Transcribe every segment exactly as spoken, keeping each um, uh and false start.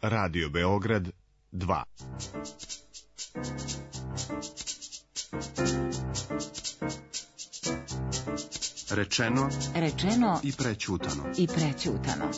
Radio Beograd dva. Rečeno, rečeno i prećutano. I prećutano.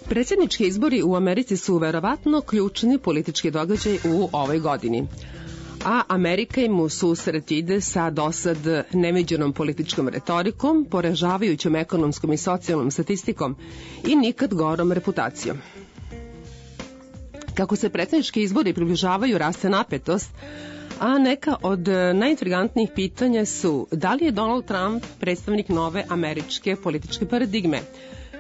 Predsjednički izbori u Americi su verovatno ključni politički događaj u ovoj godini. A Amerika im u susret ide sa dosad neviđenom političkom retorikom, poražavajućom ekonomskom i socijalnom statistikom i nikad gorom reputacijom. Kako se predsjednički izbori približavaju, raste napetost, a neka od najintrigantnijih pitanja su da li je Donald Trump predstavnik nove američke političke paradigme,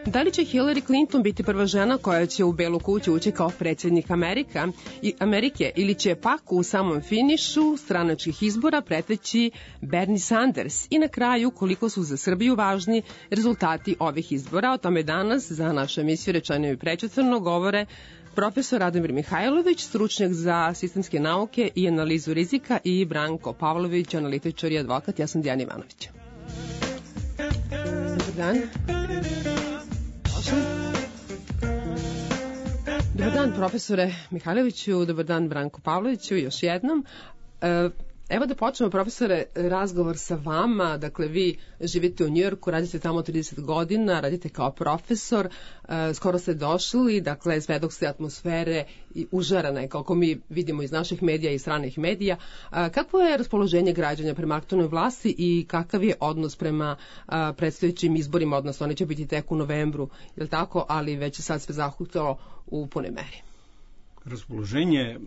da li će Hillary Clinton biti prva žena koja će u Belu kuću ući kao predsjednik Amerika i Amerike ili će pak u samom finišu stranačkih izbora preteći Bernie Sanders i na kraju koliko su za Srbiju važni rezultati ovih izbora. O tome danas za našu emisiju Rečeno i prećutano govore profesor Radomir Mihajlović, stručnjak za sistemske nauke i analizu rizika, i Branko Pavlović, analitičar i advokat. Ja sam Dijana Ivanović. Dobar dan. Dobar dan, profesore Mihajloviću, dobar dan, Branko Pavloviću, još jednom. Evo da počnemo, profesore, razgovor sa vama. Dakle, vi živite u Njujorku, radite tamo trideset godina, radite kao profesor, skoro ste došli, dakle, svedok ste atmosfere i užarana je, kako mi vidimo iz naših medija i stranih medija. Kakvo je raspoloženje građana prema aktualnoj vlasti i kakav je odnos prema predstojećim izborima, odnosno oni će biti tek u novembru, je li tako, ali već je sad sve zahutalo u punoj meri? Raspoloženje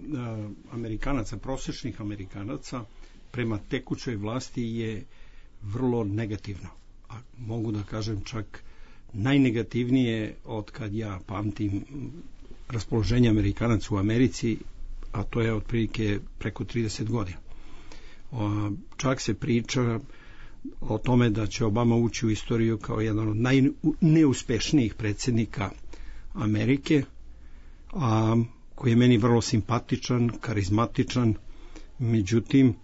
Amerikanaca, prosječnih Amerikanaca prema tekućoj vlasti je vrlo negativno. A mogu da kažem čak najnegativnije od kad ja pamtim raspoloženje Amerikanaca u Americi, a to je otprilike preko trideset godina. Čak se priča o tome da će Obama ući u istoriju kao jedan od najneuspešnijih predsjednika Amerike, a koji je meni vrlo simpatičan, karizmatičan, međutim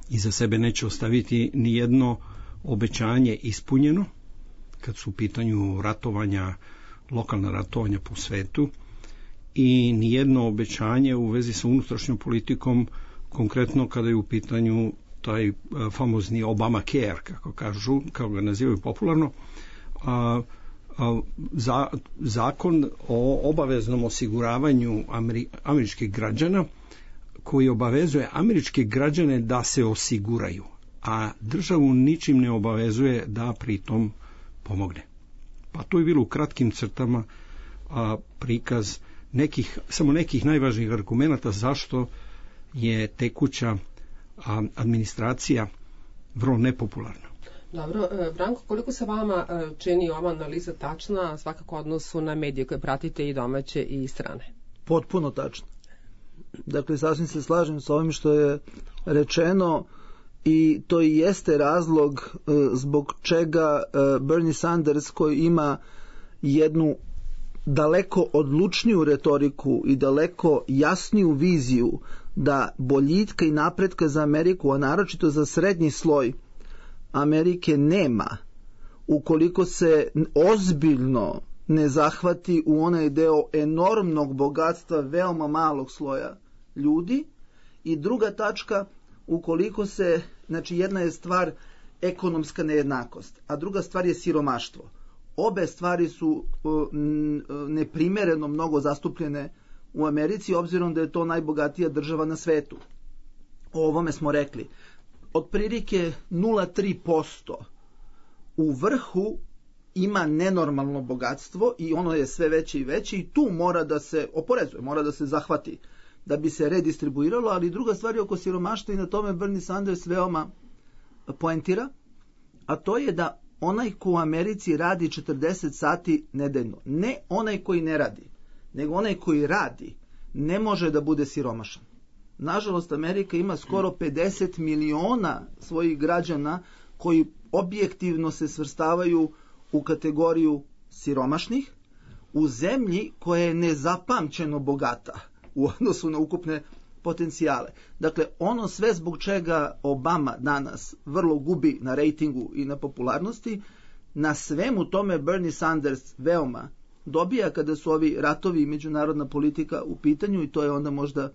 iza sebe neće ostaviti ni jedno obećanje ispunjeno kad su u pitanju ratovanja, lokalna ratovanja po svetu, i ni jedno obećanje u vezi sa unutrašnjom politikom, konkretno kada je u pitanju taj famozni Obamacare, kako kažu, kako ga nazivaju popularno, a Za, zakon o obaveznom osiguravanju Ameri, američkih građana, koji obavezuje američke građane da se osiguraju, a državu ničim ne obavezuje da pritom pomogne. Pa to je bilo u kratkim crtama a, prikaz nekih, samo nekih najvažnijih argumenata zašto je tekuća a, administracija vrlo nepopularna. Dobro, Branko, koliko se vama čini ova analiza tačna, svakako odnosu na medije koje pratite, i domaće i strane? Potpuno tačno. Dakle, sasvim se slažem s ovim što je rečeno, i to i jeste razlog zbog čega Bernie Sanders, koji ima jednu daleko odlučniju retoriku i daleko jasniju viziju da boljitka i napretka za Ameriku, a naročito za srednji sloj Amerike, nema ukoliko se ozbiljno ne zahvati u onaj deo enormnog bogatstva veoma malog sloja ljudi. I druga tačka, ukoliko se, znači jedna je stvar ekonomska nejednakost, a druga stvar je siromaštvo. Obe stvari su neprimereno mnogo zastupljene u Americi, obzirom da je to najbogatija država na svetu. O ovome smo rekli. Otprilike nula zarez tri posto u vrhu ima nenormalno bogatstvo i ono je sve veće i veće, i tu mora da se oporezuje, mora da se zahvati. da bi se redistribuiralo, ali druga stvar je oko siromaštva i na tome Bernie Sanders veoma poentira, a to je da onaj ko u Americi radi četrdeset sati nedeljno, ne onaj koji ne radi, nego onaj koji radi, ne može da bude siromašan. Nažalost, Amerika ima skoro pedeset miliona svojih građana koji objektivno se svrstavaju u kategoriju siromašnih, u zemlji koja je nezapamćeno bogata u odnosu na ukupne potencijale. Dakle, ono sve zbog čega Obama danas vrlo gubi na rejtingu i na popularnosti, na svemu tome Bernie Sanders veoma dobija kada su ovi ratovi i međunarodna politika u pitanju, i to je onda možda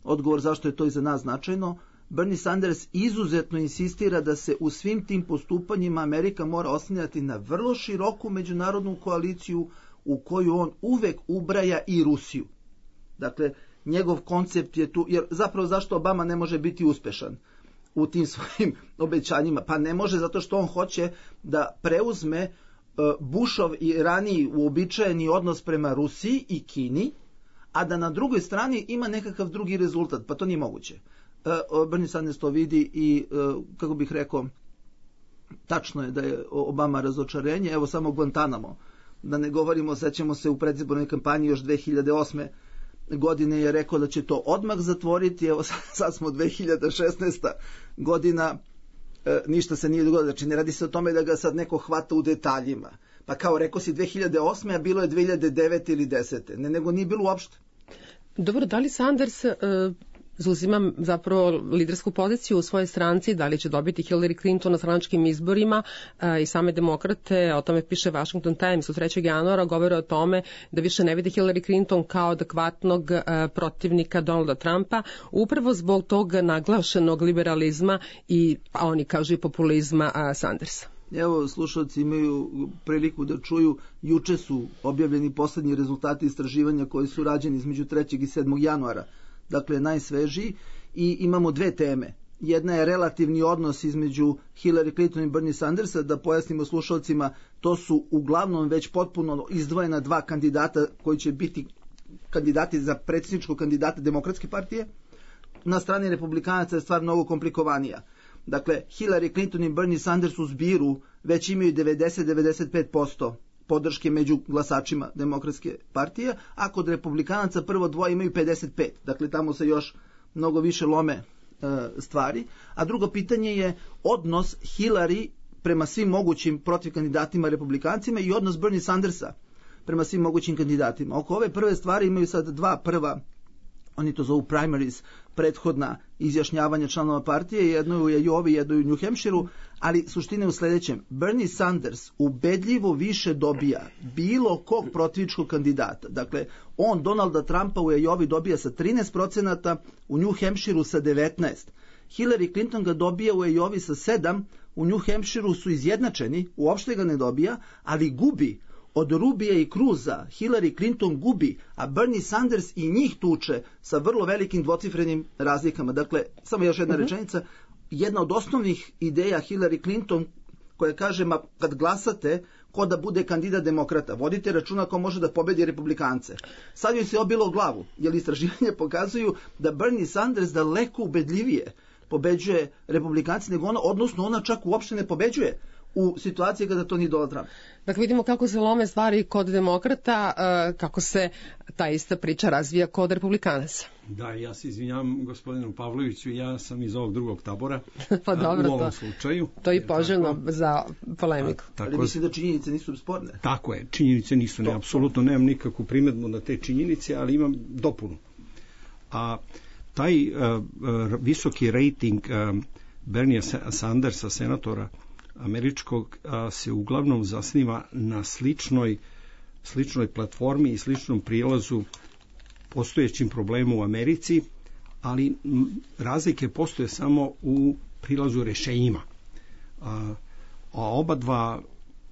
odgovor zašto je to i za nas značajno. Bernie Sanders izuzetno insistira da se u svim tim postupanjima Amerika mora oslanjati na vrlo široku međunarodnu koaliciju u koju on uvek ubraja i Rusiju. Dakle, njegov koncept je tu, jer zapravo zašto Obama ne može biti uspešan u tim svojim obećanjima? Pa ne može zato što on hoće da preuzme Bushov i raniji uobičajeni odnos prema Rusiji i Kini, a da na drugoj strani ima nekakav drugi rezultat, pa to nije moguće. Bernie Sanders to vidi i, kako bih rekao, tačno je da je Obama razočarenje. Evo samo Guantanamo, da ne govorimo, sećamo se u predizbornoj kampanji još dve hiljade osme godine je rekao da će to odmah zatvoriti, evo sad smo dve hiljade šesnaesta godina, e, ništa se nije dogodilo, znači ne radi se o tome da ga sad neko hvata u detaljima, pa kao rekao si dve hiljade osme, a bilo je dve hiljade devete ili desete, ne, nego nije bilo uopšte. Dobro, da li Sanders e, zauzima zapravo lidersku poziciju u svojoj stranci, da li će dobiti Hillary Clinton na stranačkim izborima e, i same demokrate, o tome piše Washington Times u trećeg januara, govore o tome da više ne vide Hillary Clinton kao adekvatnog e, protivnika Donalda Trumpa, upravo zbog tog naglašenog liberalizma i, a oni kažu, i populizma a, Sandersa. Evo, slušalci imaju priliku da čuju, juče su objavljeni poslednji rezultati istraživanja koji su rađeni između trećeg i sedmog januara, dakle najsvežiji, i imamo dve teme. Jedna je relativni odnos između Hillary Clinton i Bernie Sandersa, da pojasnimo slušalcima, to su uglavnom već potpuno izdvojena dva kandidata koji će biti kandidati za predsjedničkog kandidata Demokratske partije. Na strani republikanaca je stvar mnogo komplikovanija. Dakle, Hillary Clinton i Bernie Sanders u zbiru već imaju devedeset do devedeset pet posto podrške među glasačima Demokratske partije, a kod republikanaca prvo dvoje imaju pedeset pet. Dakle, tamo se još mnogo više lome e, stvari. A drugo pitanje je odnos Hillary prema svim mogućim protiv kandidatima republikancima i odnos Bernie Sandersa prema svim mogućim kandidatima. Oko ove prve stvari imaju sad dva prva, oni to zovu primaries, prethodna izjašnjavanja članova partije, jedno je u Iowi, jedno je u New Hampshireu, ali suština je u sledećem. Bernie Sanders ubedljivo više dobija bilo kog protivničkog kandidata. Dakle, on Donalda Trumpa u Iowi dobija sa trinaest procenata, u New Hampshireu sa devetnaest. Hillary Clinton ga dobija u Iowi sa sedam, u New Hampshireu su izjednačeni, uopšte ga ne dobija, ali gubi. Od Rubija i Cruza Hillary Clinton gubi, a Bernie Sanders i njih tuče sa vrlo velikim dvocifrenim razlikama. Dakle, samo još jedna uh-huh. rečenica, jedna od osnovnih ideja Hillary Clinton koja kaže, ma kad glasate, ko da bude kandidat demokrata, vodite računa ko može da pobedi republikance. Sad joj se obilo u glavu, jer istraživanje pokazuju da Bernie Sanders daleko ubedljivije pobeđuje republikance nego ona, odnosno ona čak uopšte ne pobeđuje u situaciji kada to nije Donald Trump. Dakle, vidimo kako se lome stvari kod demokrata, kako se ta ista priča razvija kod republikanaca. Da, ja se izvinjam gospodinu Pavloviću, ja sam iz ovog drugog tabora. Pa dobro, u ovom to, slučaju. To je poželjno tako, za polemiku. A, tako, ali mislim da činjenice nisu sporne. Tako je, činjenice nisu, ne, apsolutno nemam nikakvu primedbu na te činjenice, ali imam dopunu. A taj uh, visoki rating uh, Bernie Sandersa, senatora američkog, a, se uglavnom zasniva na sličnoj, sličnoj platformi i sličnom prijelazu postojećim problemu u Americi, ali m, razlike postoje samo u prilazu rešenjima. A, a oba dva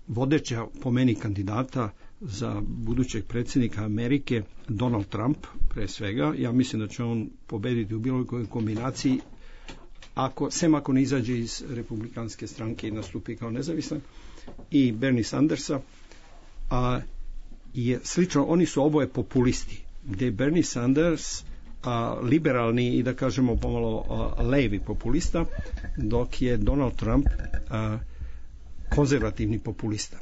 vodeća po meni kandidata za budućeg predsjednika Amerike, Donald Trump pre svega, ja mislim da će on pobediti u bilo kojoj kombinaciji, ako, sem ako ne izađe iz republikanske stranke i nastupi kao nezavisan, i Bernie Sandersa, a je slično, oni su oboje populisti, gde Bernie Sanders a, liberalni i da kažemo pomalo a, levi populista, dok je Donald Trump a, konzervativni populista.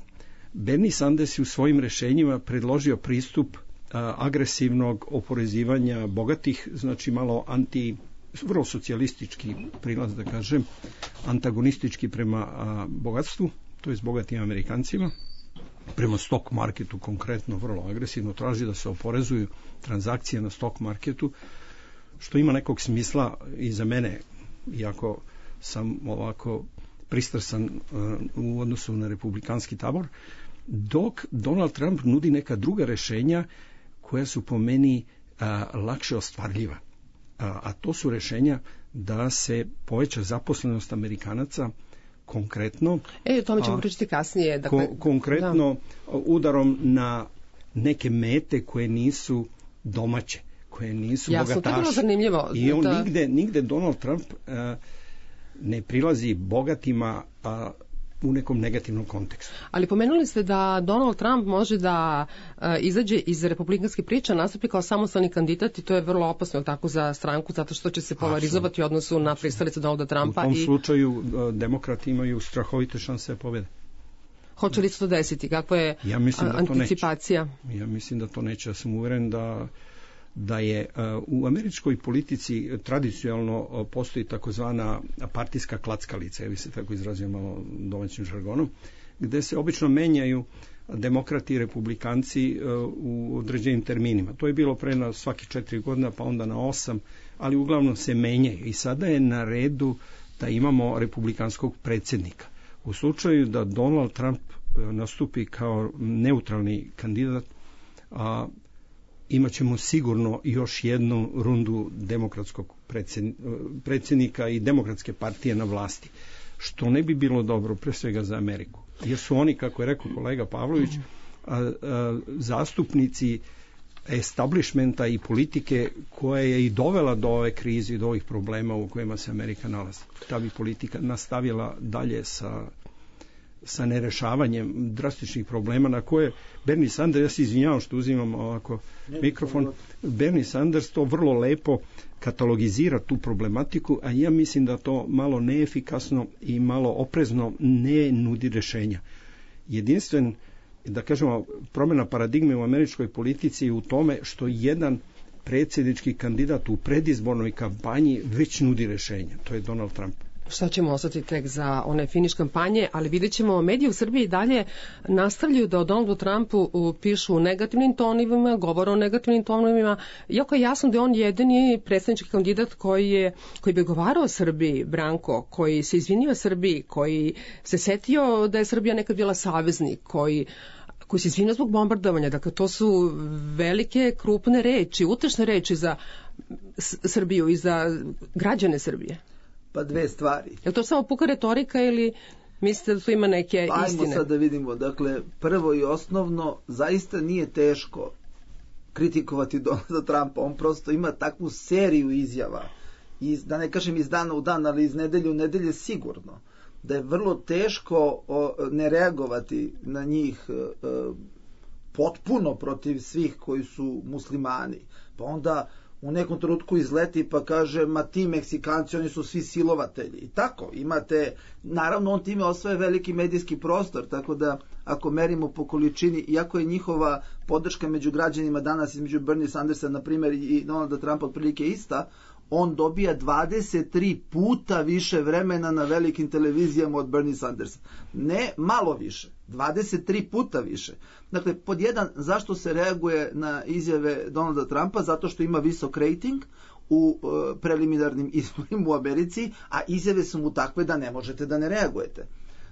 Bernie Sanders je u svojim rešenjima predložio pristup a, agresivnog oporezivanja bogatih, znači malo anti, vrlo socijalistički prilaz, da kažem, antagonistički prema a, bogatstvu, to je s bogatim Amerikancima, prema stock marketu konkretno vrlo agresivno traži da se oporezuju transakcije na stock marketu, što ima nekog smisla i za mene, iako sam ovako pristrasan uh, u odnosu na republikanski tabor, dok Donald Trump nudi neka druga rešenja koja su po meni uh, lakše ostvarljiva. Uh, a to su rešenja da se poveća zaposlenost Amerikanaca konkretno. E, o tome ćemo pričati kasnije. Dakle, ko, konkretno da. udarom na neke mete koje nisu domaće, koje nisu Jasno, bogataši. To je bilo zanimljivo. I on da. nigde, nigde Donald Trump uh, ne prilazi bogatima uh, u nekom negativnom kontekstu. Ali pomenuli ste da Donald Trump može da uh, izađe iz republikanske priče, nastupi kao samostalni kandidat i to je vrlo opasno tako za stranku, zato što će se polarizovati u odnosu na pristalice Donalda Trumpa. U tom i... slučaju uh, demokrati imaju strahovite šanse da pobede. Hoće li se to desiti? Kakva je ja mislim da anticipacija? To neće. Ja mislim da to neće. Ja sam uveren da da je uh, u američkoj politici tradicionalno uh, postoji takozvana partijska klackalica, ja bi se tako izrazio malo domaćim žargonom, gde se obično menjaju demokrati i republikanci uh, u određenim terminima. To je bilo pre na svaki četiri godina, pa onda na osam, ali uglavnom se menjaju. I sada je na redu da imamo republikanskog predsjednika. U slučaju da Donald Trump uh, nastupi kao neutralni kandidat, a uh, imaćemo sigurno još jednu rundu demokratskog predsjednika i demokratske partije na vlasti, što ne bi bilo dobro pre svega za Ameriku. Jer su oni, kako je rekao kolega Pavlović, a, a, zastupnici establishmenta i politike koja je i dovela do ove krize i do ovih problema u kojima se Amerika nalazi. Ta bi politika nastavila dalje sa sa nerešavanjem drastičnih problema na koje Bernie Sanders, ja se izvinjavam što uzimam ovako mikrofon, Bernie Sanders to vrlo lepo katalogizira tu problematiku, a ja mislim da to malo neefikasno i malo oprezno ne nudi rešenja. Jedinstven, da kažemo, promjena paradigme u američkoj politici je u tome što jedan predsjednički kandidat u predizbornoj kampanji već nudi rešenja. To je Donald Trump. Šta ćemo ostati tek za one finiš kampanje, ali vidjet ćemo, mediji u Srbiji dalje nastavljaju da o Donaldu Trumpu pišu u negativnim tonivima, govore o negativnim tonivima, iako je jasno da je on jedini predsjednički kandidat koji je, koji bi govarao Srbiji, Branko, koji se izvinio Srbiji, koji se setio da je Srbija nekad bila saveznik, koji koji se izvinio zbog bombardovanja. Dakle, to su velike, krupne reči, utešne reči za Srbiju i za građane Srbije. Pa dve stvari. Je li to samo puka retorika ili mislite da tu ima neke pa istine? Ajmo sad da vidimo. Dakle, prvo i osnovno, zaista nije teško kritikovati Donalda Trumpa. On prosto ima takvu seriju izjava, iz, da ne kažem iz dana u dan, ali iz nedelje u nedelje sigurno, da je vrlo teško o, ne reagovati na njih e, potpuno protiv svih koji su muslimani. Pa onda u nekom trenutku izleti pa kaže, ma ti Meksikanci, oni su svi silovatelji. I tako, imate, naravno on time osvaja veliki medijski prostor, tako da ako merimo po količini, iako je njihova podrška među građanima danas između Bernie Sandersa, na primjer, i Donalda Trumpa otprilike ista, on dobija dvadeset tri puta više vremena na velikim televizijama od Bernie Sandersa. Ne malo više, dvadeset tri puta više. Dakle, pod jedan, zašto se reaguje na izjave Donalda Trumpa? Zato što ima visok rating u e, preliminarnim izborima u Americi, a izjave su mu takve da ne možete da ne reagujete.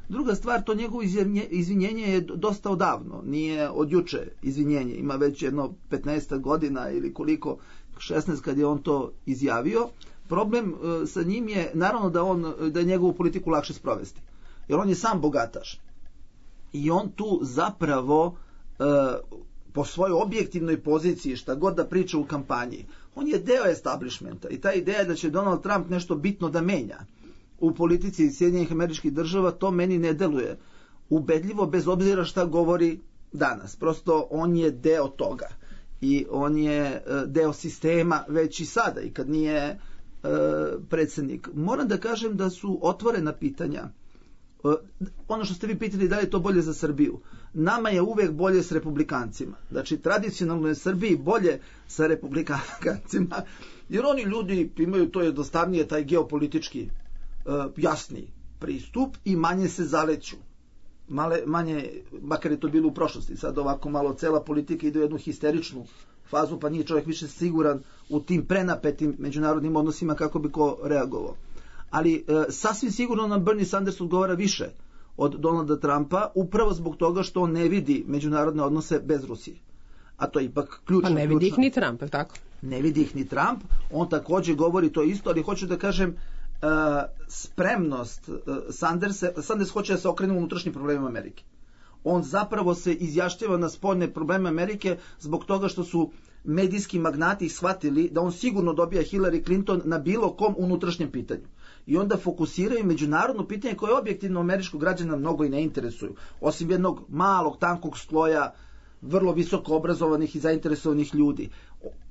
Druga stvar, to njegovo izvinjenje je dosta odavno, nije od juče izvinjenje, ima već jedno petnaest godina ili koliko, šesnaest kad je on to izjavio. Problem e, sa njim je, naravno da, on, da je njegovu politiku lakše sprovesti, jer on je sam bogataš. I on tu zapravo e, po svojoj objektivnoj poziciji, šta god da priča u kampanji, on je deo establishmenta i ta ideja da će Donald Trump nešto bitno da menja u politici Sjedinjenih Američkih Država, to meni ne deluje ubedljivo bez obzira šta govori danas. Prosto on je deo toga. i on je deo sistema već i sada i kad nije e, predsjednik. Moram da kažem da su otvorena pitanja. E, ono što ste vi pitali da li je to bolje za Srbiju. Nama je uvek bolje s republikancima. Znači, tradicionalno je Srbiji bolje sa republikancima, jer oni ljudi imaju to jednostavnije, taj geopolitički e, jasni pristup i manje se zaleću. Male, manje, makar je to bilo u prošlosti, sad ovako malo cela politika ide u jednu histeričnu fazu, pa nije čovjek više siguran u tim prenapetim međunarodnim odnosima kako bi ko reagovao. Ali e, sasvim sigurno nam Bernie Sanders odgovara više od Donalda Trumpa, upravo zbog toga što on ne vidi međunarodne odnose bez Rusije. A to je ipak ključno. Pa ne vidi ih ni Trump, tako? Ne vidi ih ni Trump, on također govori to isto, ali hoću da kažem, Uh, spremnost uh, Sanders, Sanders hoće da se okrene unutrašnjim problemima Amerike. On zapravo se izjašnjava na spoljne probleme Amerike zbog toga što su medijski magnati shvatili da on sigurno dobija Hillary Clinton na bilo kom unutrašnjem pitanju. I onda fokusiraju međunarodno pitanje koje objektivno američkog građana mnogo i ne interesuju. Osim jednog malog, tankog sloja vrlo visoko obrazovanih i zainteresovanih ljudi.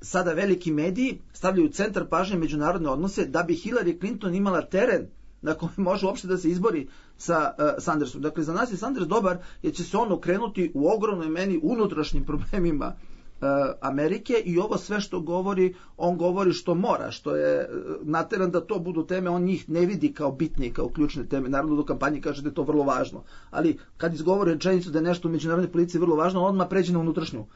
Sada veliki mediji stavljaju u centar pažnje međunarodne odnose da bi Hillary Clinton imala teren na kojem može uopšte da se izbori sa uh, Sandersom. Dakle, za nas je Sanders dobar jer će se on okrenuti u ogromnoj meni unutrašnjim problemima uh, Amerike i ovo sve što govori, on govori što mora, što je uh, nateran da to budu teme, on njih ne vidi kao bitne i kao ključne teme. Naravno do kampanji kaže da je to vrlo važno, ali kad izgovori rečenicu da je nešto u međunarodnoj politici vrlo važno, on odmah pređe na unutrašnju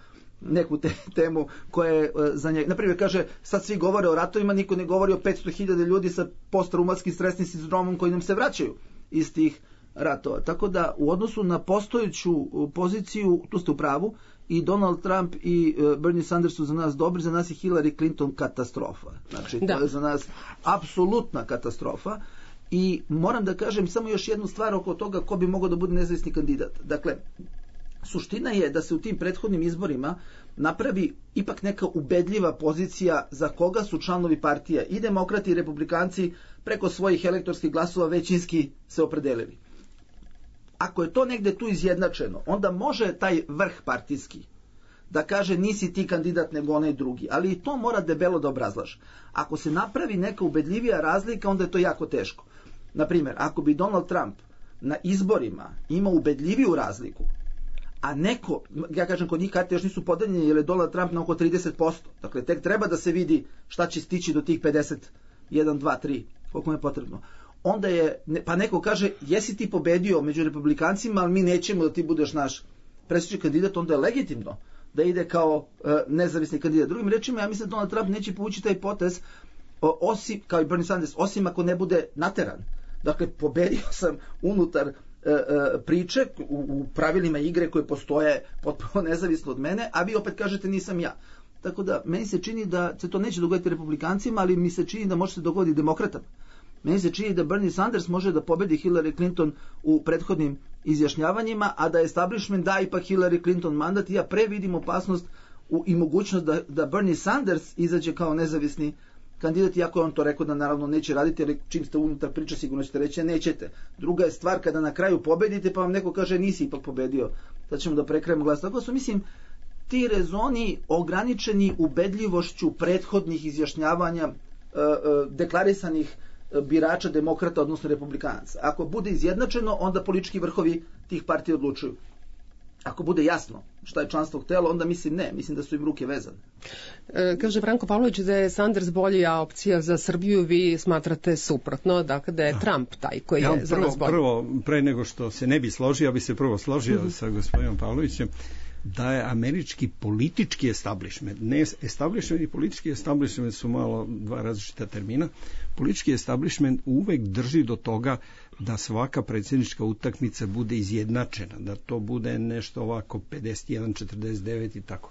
neku te, temu koja je uh, za njega. Naprimjer, kaže, sad svi govore o ratovima, niko ne govori o petsto hiljada ljudi sa posttraumatskim stresnim sindromom koji nam se vraćaju iz tih ratova. Tako da, u odnosu na postojeću poziciju, tu ste u pravu, i Donald Trump i uh, Bernie Sanders su za nas dobri, za nas je Hillary Clinton katastrofa. Znači, da. To je za nas apsolutna katastrofa. I moram da kažem samo još jednu stvar oko toga ko bi mogao da bude nezavisni kandidat. Dakle, suština je da se u tim prethodnim izborima napravi ipak neka ubedljiva pozicija za koga su članovi partija i demokrati i republikanci preko svojih elektorskih glasova većinski se opredelili. Ako je to negde tu izjednačeno, onda može taj vrh partijski da kaže nisi ti kandidat nego onaj drugi, ali i to mora debelo da obrazlaže. Ako se napravi neka ubedljivija razlika, onda je to jako teško. Naprimjer, ako bi Donald Trump na izborima imao ubedljiviju razliku, a neko, ja kažem kod njih karte još nisu podeljeni jer je Donald Trump na oko trideset posto. Dakle, tek treba da se vidi šta će stići do tih pedeset jedan, dva, tri, koliko je potrebno. Onda je, pa neko kaže, jesi ti pobedio među republikancima, ali mi nećemo da ti budeš naš predsjednički kandidat, onda je legitimno da ide kao uh, nezavisni kandidat. Drugim rečima, ja mislim da Donald Trump neće povući taj potez, o, osim, kao i Bernie Sanders, osim ako ne bude nateran. Dakle, pobedio sam unutar priče u, u pravilima igre koje postoje potpuno nezavisno od mene, a vi opet kažete nisam ja. Tako da, meni se čini da se to neće dogoditi republikancima, ali mi se čini da može se dogoditi demokratama. Meni se čini da Bernie Sanders može da pobedi Hillary Clinton u prethodnim izjašnjavanjima, a da establishment da ipak Hillary Clinton mandat. Ja pre vidim opasnost u, i mogućnost da, da Bernie Sanders izađe kao nezavisni kandidat, iako je on to rekao da naravno neće raditi, jer čim ste unutar priče sigurno ćete reći nećete. Druga je stvar kada na kraju pobedite pa vam neko kaže nisi ipak pobedio, da ćemo da prekrajemo glas. Tako su, mislim, ti rezoni ograničeni ubedljivošću prethodnih izjašnjavanja e, e, deklarisanih birača demokrata, odnosno republikanaca. Ako bude izjednačeno, onda politički vrhovi tih partija odlučuju. Ako bude jasno šta je članstvo htelo, onda mislim ne, mislim da su im ruke vezane. E, kaže Branko Pavlović da je Sanders bolja opcija za Srbiju, vi smatrate suprotno, dakle da je da. Trump taj koji ja, je za prvo, nas bolji. Prvo, pre nego što se ne bi složio, ja bi se prvo složio mm-hmm. sa gospodinom Pavlovićem, da je američki politički establishment, ne establishment i politički establishment su malo dva različita termina, politički establishment uvek drži do toga da svaka predsjednička utakmica bude izjednačena, da to bude nešto ovako pedeset jedan četrdeset devet i tako.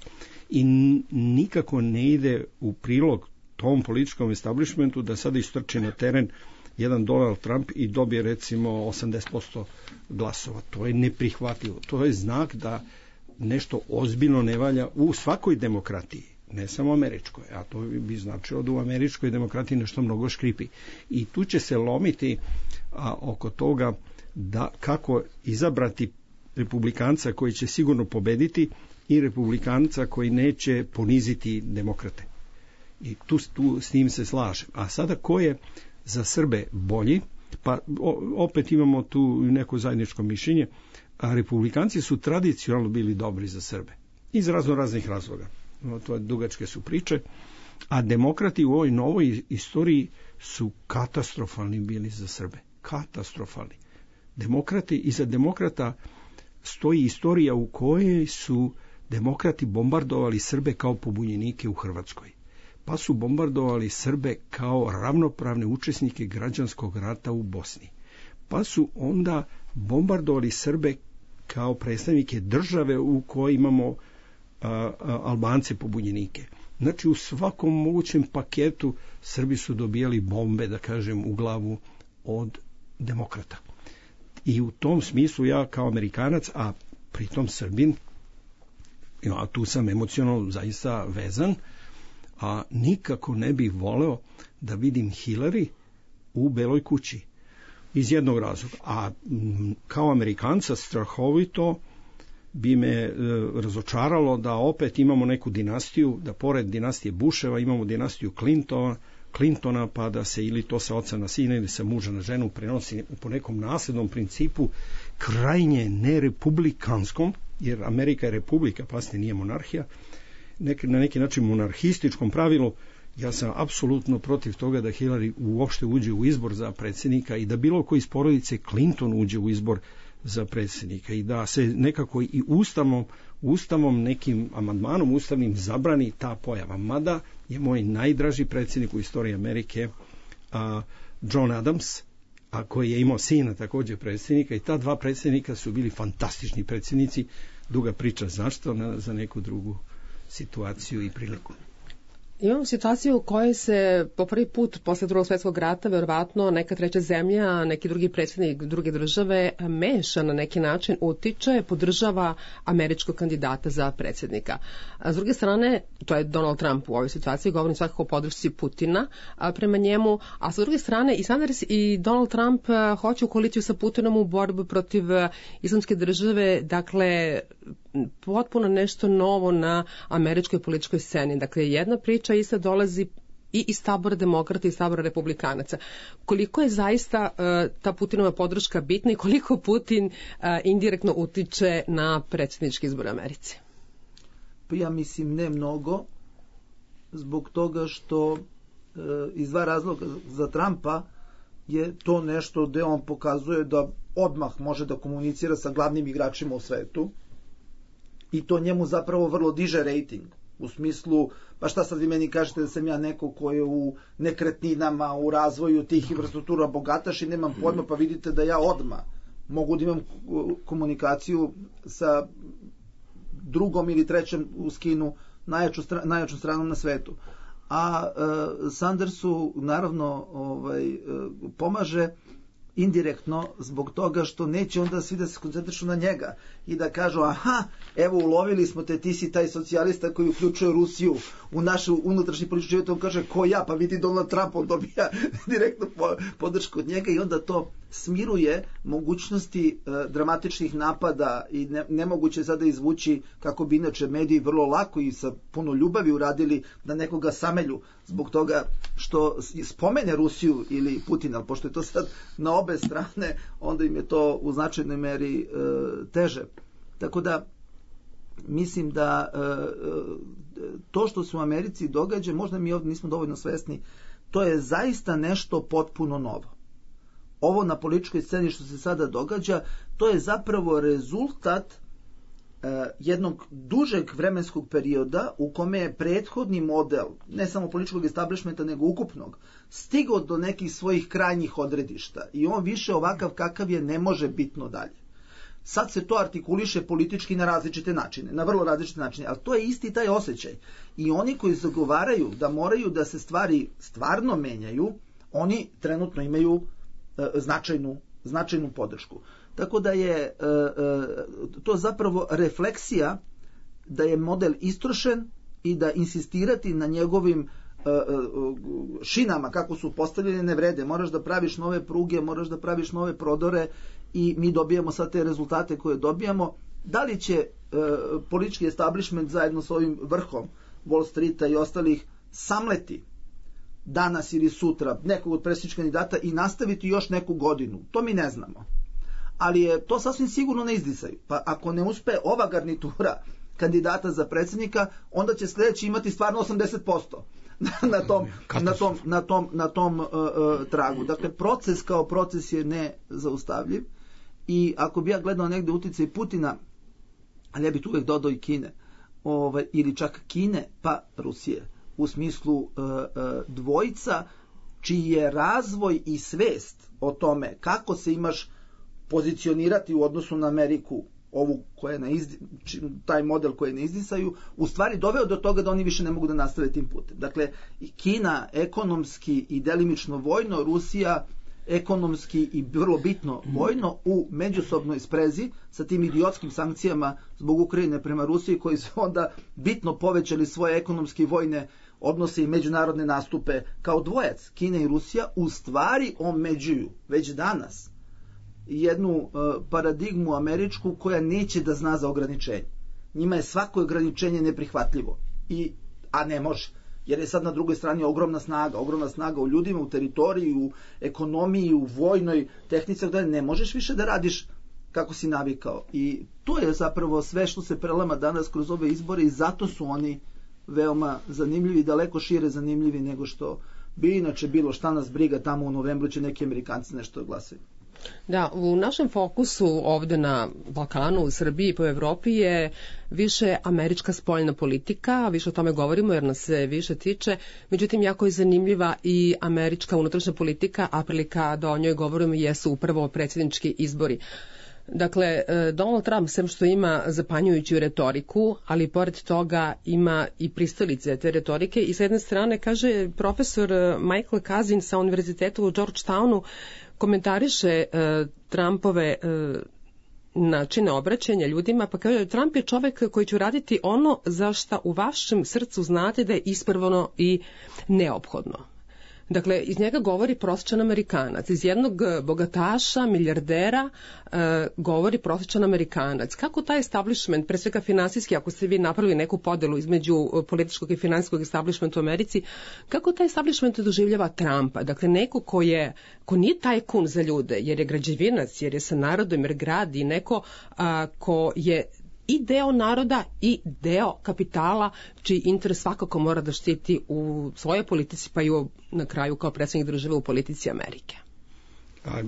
I nikako ne ide u prilog tom političkom establishmentu da sada istrči na teren jedan Donald Trump i dobije recimo osamdeset posto glasova. To je neprihvatljivo. To je znak da nešto ozbiljno ne valja u svakoj demokratiji, ne samo američkoj, a to bi značilo da u američkoj demokratiji nešto mnogo škripi. I tu će se lomiti a, oko toga da kako izabrati republikanca koji će sigurno pobediti, i republikanca koji neće poniziti demokrate. I tu, tu s njim se slažem. A sada ko je za Srbe bolji? Pa o, opet imamo tu neko zajedničko mišljenje. A republikanci su tradicionalno bili dobri za Srbe. Iz razno raznih razloga. No, to je dugačke su priče. A demokrati u ovoj novoj istoriji su katastrofalni bili za Srbe. Katastrofalni. Demokrati, iza demokrata stoji istorija u kojoj su demokrati bombardovali Srbe kao pobunjenike u Hrvatskoj. Pa su bombardovali Srbe kao ravnopravne učesnike građanskog rata u Bosni. Pa su onda bombardovali Srbe kao predstavnike države u kojoj imamo a, a, Albance pobunjenike. Znači u svakom mogućem paketu Srbi su dobijali bombe, da kažem, u glavu od demokrata. I u tom smislu ja kao Amerikanac, a pritom Srbin, a tu sam emocionalno zaista vezan, a nikako ne bih voleo da vidim Hillary u Beloj kući. Iz jednog razloga. A m, kao Amerikanca strahovito bi me e, razočaralo da opet imamo neku dinastiju, da pored dinastije Busheva imamo dinastiju Clintona, Clintona, pa da se ili to sa oca na sina ili sa muža na ženu prenosi po nekom naslednom principu krajnje nerepublikanskom, jer Amerika je republika, pasne nije monarhija, nek, na neki način monarhističkom pravilu. Ja sam apsolutno protiv toga da Hillary uopšte uđe u izbor za predsjednika i da bilo koji iz porodice Clinton uđe u izbor za predsjednika i da se nekako i ustavom, ustavom nekim amandmanom ustavnim zabrani ta pojava. Mada je moj najdraži predsjednik u istoriji Amerike a, John Adams, a koji je imao sina također predsjednika, i ta dva predsjednika su bili fantastični predsjednici. Duga priča zašto, na, za neku drugu situaciju i priliku. Imamo situaciju u kojoj se po prvi put posle drugog svjetskog rata verovatno neka treća zemlja, neki drugi predsjednik druge države meša na neki način, utiče, podržava američkog kandidata za predsjednika. A s druge strane, to je Donald Trump u ovoj situaciji, govorim svakako o podršci Putina a, prema njemu, a sa druge strane i Sanders i Donald Trump a, hoće u koaliciju sa Putinom u borbu protiv a, islamske države, dakle potpuno nešto novo na američkoj političkoj sceni. Dakle, jedna priča ista dolazi i iz tabora demokrata i iz tabora republikanaca. Koliko je zaista uh, ta Putinova podrška bitna i koliko Putin uh, indirektno utiče na predsjednički izbor u Americi? Pa ja mislim ne mnogo, zbog toga što uh, iz dva razloga. Za Trumpa je to nešto gde on pokazuje da odmah može da komunicira sa glavnim igračima u svetu, i to njemu zapravo vrlo diže rejting. U smislu, pa šta sad vi meni kažete da sam ja neko ko je u nekretninama, u razvoju tih infrastruktura bogataš i nemam pojma, pa vidite da ja odmah mogu da imam komunikaciju sa drugom ili trećem u skinu najjaču, najjaču stranom na svetu. A e, Sandersu naravno ovaj, e, pomaže indirektno zbog toga što neće onda svi da se koncentrišu na njega i da kažu, aha, evo ulovili smo te, ti si taj socijalista koji uključuje Rusiju u našu unutrašnji politički život. On kaže, ko ja? Pa vidi Donald Trump, on dobija direktno podršku od njega i onda to smiruje mogućnosti e, dramatičnih napada i ne, nemoguće sada izvući, kako bi inače mediji vrlo lako i sa puno ljubavi uradili, da nekoga samelju zbog toga što spomene Rusiju ili Putina, ali pošto je to sad na obe strane, onda im je to u značajnoj meri e, teže. Tako da mislim da e, to što se u Americi događa, možda mi ovdje nismo dovoljno svesni, to je zaista nešto potpuno novo. Ovo na političkoj sceni što se sada događa, to je zapravo rezultat e, jednog dužeg vremenskog perioda u kome je prethodni model, ne samo političkog establishmenta, nego ukupnog, stigao do nekih svojih krajnjih odredišta i on više ovakav kakav je ne može bitno dalje. Sad se to artikuliše politički na različite načine, na vrlo različite načine, ali to je isti taj osjećaj. I oni koji zagovaraju da moraju da se stvari stvarno menjaju, oni trenutno imaju e, značajnu, značajnu podršku. Tako da je e, e, to zapravo refleksija da je model istrošen i da insistirati na njegovim šinama kako su postavljene ne vrede. Moraš da praviš nove pruge, moraš da praviš nove prodore i mi dobijamo sad te rezultate koje dobijamo. Da li će politički establishment zajedno s ovim vrhom Wall Streeta i ostalih samleti danas ili sutra nekog od predsjedničkih kandidata i nastaviti još neku godinu. To mi ne znamo. Ali je to sasvim sigurno ne izdisaju. Pa ako ne uspe ova garnitura kandidata za predsjednika, onda će sljedeći imati stvarno osamdeset posto na tom, na tom, na tom, na tom uh, uh, tragu. Dakle, proces kao proces je nezaustavljiv i ako bi ja gledao negde uticaj Putina, ali ja bih tu uvek dodao i Kine, ovaj, ili čak Kine pa Rusije, u smislu uh, uh, dvojica čiji je razvoj i svest o tome kako se imaš pozicionirati u odnosu na Ameriku, ovu koja ne izdi, taj model koji ne izdisaju, u stvari doveo do toga da oni više ne mogu da nastave tim putem. Dakle, Kina ekonomski i delimično vojno, Rusija ekonomski i vrlo bitno vojno u međusobnoj sprezi sa tim idiotskim sankcijama zbog Ukrajine prema Rusiji, koji su onda bitno povećali svoje ekonomske i vojne odnose i međunarodne nastupe kao dvojac. Kina i Rusija u stvari omeđuju već danas jednu uh, paradigmu američku koja neće da zna za ograničenje. Njima je svako ograničenje neprihvatljivo, I, a ne može. Jer je sad na drugoj strani ogromna snaga, ogromna snaga u ljudima, u teritoriji, u ekonomiji, u vojnoj tehnici, da ne možeš više da radiš kako si navikao. I to je zapravo sve što se prelama danas kroz ove izbore i zato su oni veoma zanimljivi, daleko šire zanimljivi nego što bi inače bilo. Šta nas briga, tamo u novembru će neki Amerikanci nešto glasaju. Da, u našem fokusu ovde na Balkanu, u Srbiji i po Evropi je više američka spoljna politika, više o tome govorimo jer nas se više tiče, međutim jako je zanimljiva i američka unutrašnja politika, a prilika da o njoj govorimo jesu upravo predsjednički izbori. Dakle, Donald Trump, sem što ima zapanjujuću retoriku, ali pored toga ima i pristalice te retorike i s jedne strane kaže profesor Michael Kazin sa univerzitetu u Georgetownu, komentariše uh, Trumpove uh, načine obraćanja ljudima, pa kaže Trump je čovek koji će raditi ono za šta u vašem srcu znate da je ispravno i neophodno. Dakle, iz njega govori prosječan Amerikanac. Iz jednog bogataša, milijardera, e, govori prosječan Amerikanac. Kako taj establishment, pre svega finansijski, ako ste vi napravili neku podelu između političkog i finansijskog establishmenta u Americi, kako taj establishment doživljava Trumpa? Dakle, neko ko, je, ko nije tajkun za ljude, jer je građevinac, jer je sa narodom, jer gradi, neko a, ko je i deo naroda i deo kapitala, čiji interes svakako mora da štiti u svojoj politici, pa i u, na kraju kao predsjednik države u politici Amerike. A,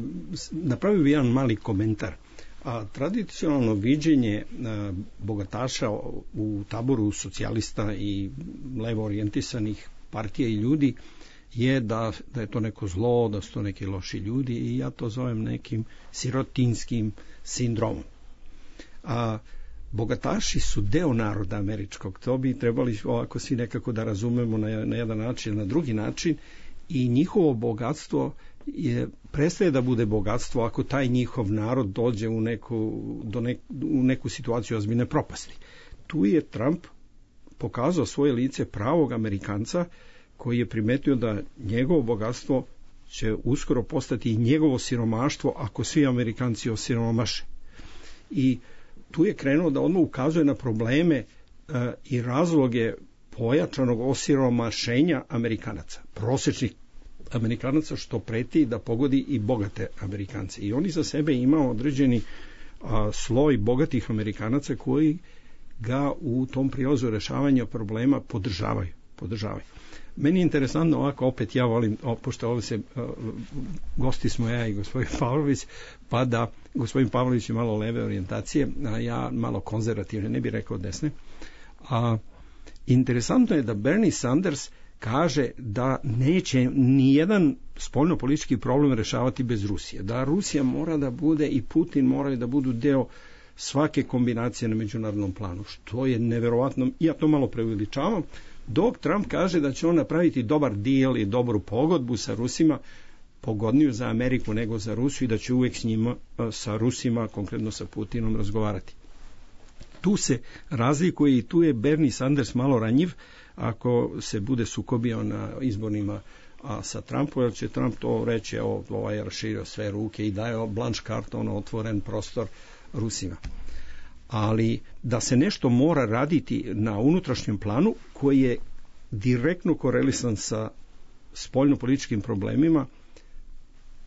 napravio bi jedan mali komentar. A, tradicionalno viđenje a, bogataša u taboru socijalista i levo orijentisanih partija i ljudi je da, da je to neko zlo, da su to neki loši ljudi i ja to zovem nekim sirotinskim sindromom. A bogataši su deo naroda američkog, to bi trebali ovako svi nekako da razumemo na, na jedan način, na drugi način i njihovo bogatstvo je, prestaje da bude bogatstvo ako taj njihov narod dođe u neku, do nek, u neku situaciju ozbiljne propasti. Tu je Trump pokazao svoje lice pravog Amerikanca koji je primetio da njegovo bogatstvo će uskoro postati i njegovo siromaštvo ako svi Amerikanci osiromaše. I tu je krenuo da odmah ukazuje na probleme e, i razloge pojačanog osiromašenja Amerikanaca, prosječnih Amerikanaca, što preti da pogodi i bogate Amerikance. I oni za sebe imaju određeni a, sloj bogatih Amerikanaca koji ga u tom prilazu rešavanja problema podržavaju. podržavaju. Meni je interesantno ovako, opet ja volim, o, pošto ovdje se, o, gosti smo ja i gospodin Pavlović, pa da gospodin Pavlović je malo leve orijentacije, a ja malo konzervativne, ne bih rekao desne. A, interesantno je da Bernie Sanders kaže da neće nijedan spoljnopolitički problem rešavati bez Rusije. Da Rusija mora da bude i Putin moraju da budu deo svake kombinacije na međunarodnom planu, što je neverovatno, ja to malo preuveličavam, dok Trump kaže da će on napraviti dobar deal i dobru pogodbu sa Rusima, pogodniju za Ameriku nego za Rusiju i da će uvek s njima, sa Rusima, konkretno sa Putinom, razgovarati. Tu se razlikuje i tu je Bernie Sanders malo ranjiv ako se bude sukobio na izbornima a sa Trumpom, jer će Trump to reći, evo, ovaj je raširio sve ruke i daje blanč karton, otvoren prostor Rusima. ali da se nešto mora raditi na unutrašnjem planu koji je direktno korelisan sa spoljnopolitičkim problemima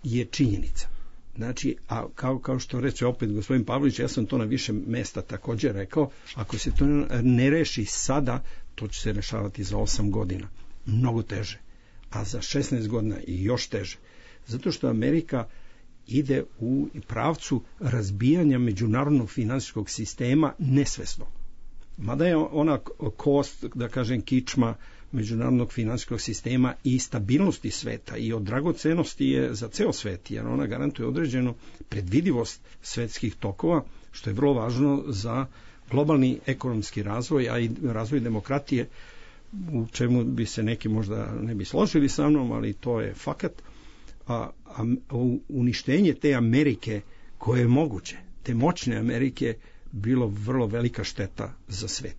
je činjenica. Znači, a kao, kao što reče opet gospodin Pavlović, ja sam to na više mesta također rekao, ako se to ne reši sada, to će se rešavati za osam godina. Mnogo teže. A za šesnaest godina i još teže. Zato što Amerika ide u pravcu razbijanja međunarodnog finansijskog sistema nesvesno. Mada je ona kost, da kažem, kičma međunarodnog finansijskog sistema i stabilnosti sveta i od dragocenosti je za ceo svet, jer ona garantuje određenu predvidivost svetskih tokova, što je vrlo važno za globalni ekonomski razvoj, a i razvoj demokratije, u čemu bi se neki možda ne bi složili sa mnom, ali to je fakat. A, a uništenje te Amerike koje je moguće, te moćne Amerike, bilo vrlo velika šteta za svet.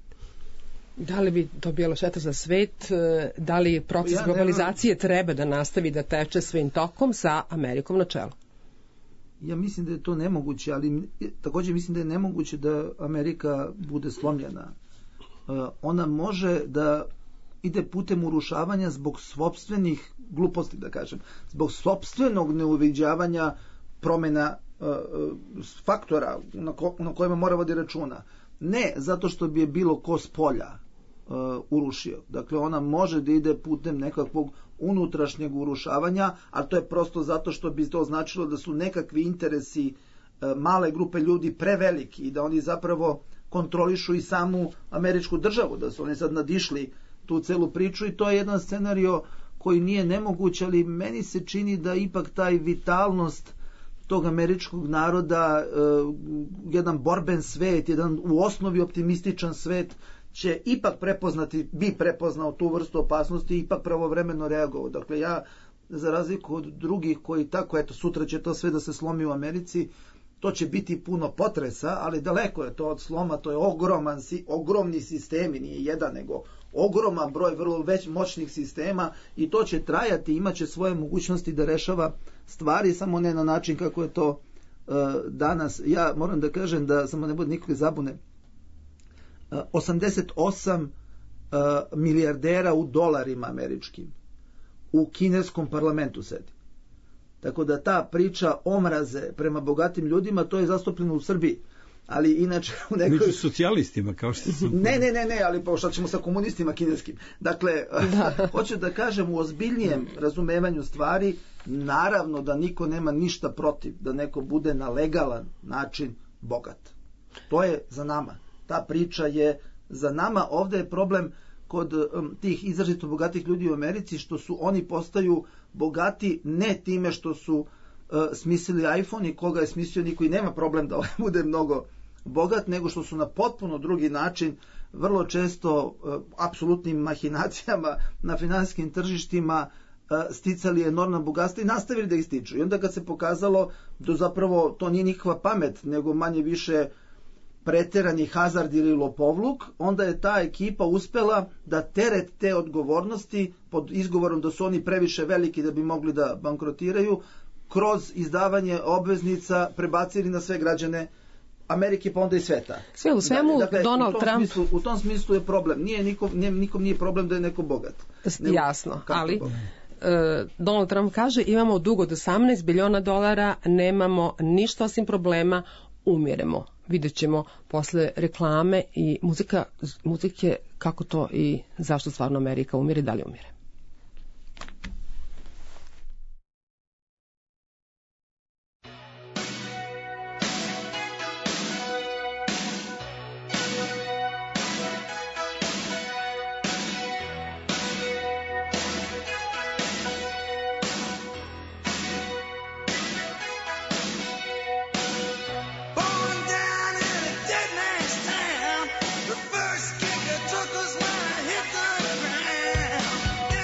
Da li bi to bilo šteta za svet? Da li proces ja, globalizacije treba da nastavi da teče svojim tokom sa Amerikom na čelu? Ja mislim da je to nemoguće, ali također mislim da je nemoguće da Amerika bude slomljena. Ona može da ide putem urušavanja zbog sopstvenih gluposti, da kažem, zbog sopstvenog neuviđavanja promjena uh, faktora na, ko, na kojima mora vodi računa. Ne zato što bi je bilo ko s polja uh, urušio. Dakle, ona može da ide putem nekakvog unutrašnjeg urušavanja, ali to je prosto zato što bi to značilo da su nekakvi interesi uh, male grupe ljudi preveliki i da oni zapravo kontrolišu i samu američku državu, da su oni sad nadišli tu celu priču i to je jedan scenario koji nije nemoguć, ali meni se čini da ipak taj vitalnost tog američkog naroda, uh, jedan borben svet, jedan u osnovi optimističan svet će ipak prepoznati, bi prepoznao tu vrstu opasnosti i ipak pravovremeno reagovao. Dakle, ja za razliku od drugih koji tako, eto, sutra će to sve da se slomi u Americi, to će biti puno potresa, ali daleko je to od sloma, to je ogroman, ogromni sistemi, nije jedan, nego ogroman broj vrlo već moćnih sistema i to će trajati, imat će svoje mogućnosti da rešava stvari, samo ne na način kako je to uh, danas. Ja moram da kažem da, samo ne bude nikakve zabune, uh, osamdeset osam uh, milijardera u dolarima američkim u kineskom parlamentu sedi. Tako da ta priča omraze prema bogatim ljudima, to je zastupljeno u Srbiji. Ali inače u nekoj... Među socijalistima, kao što su... Ne, ne, ne, ne, ali pa šta ćemo sa komunistima kineskim. Dakle, da. Hoću da kažem u ozbiljnijem razumevanju stvari, naravno da niko nema ništa protiv da neko bude na legalan način bogat. To je za nama. Ta priča je za nama. Ovdje je problem kod um, tih izrazito bogatih ljudi u Americi, što su oni postaju bogati ne time što su uh, smislili iPhone i koga je smislio niko i nema problem da bude mnogo bogat, nego što su na potpuno drugi način vrlo često uh, apsolutnim mahinacijama na finansijskim tržištima uh, sticali enormna bogatstva i nastavili da ih stiču. I onda kad se pokazalo da zapravo to nije nikakva pamet, nego manje više preterani hazard ili lopovluk, onda je ta ekipa uspela da teret te odgovornosti pod izgovorom da su oni previše veliki da bi mogli da bankrotiraju, kroz izdavanje obveznica prebacili na sve građane Amerike pa onda i sveta. Sve u svemu, dakle, Donald u tom Trump... Smislu, u tom smislu je problem. Nije nikom, nije, nikom nije problem da je neko bogat. Nego, jasno, ali... Uh, Donald Trump kaže imamo dug od osamnaest biliona dolara, nemamo ništa osim problema, umiremo. Vidjet ćemo posle reklame i muzika, muzike kako to i zašto stvarno Amerika umire, da li umire. Took us when I hit the ground.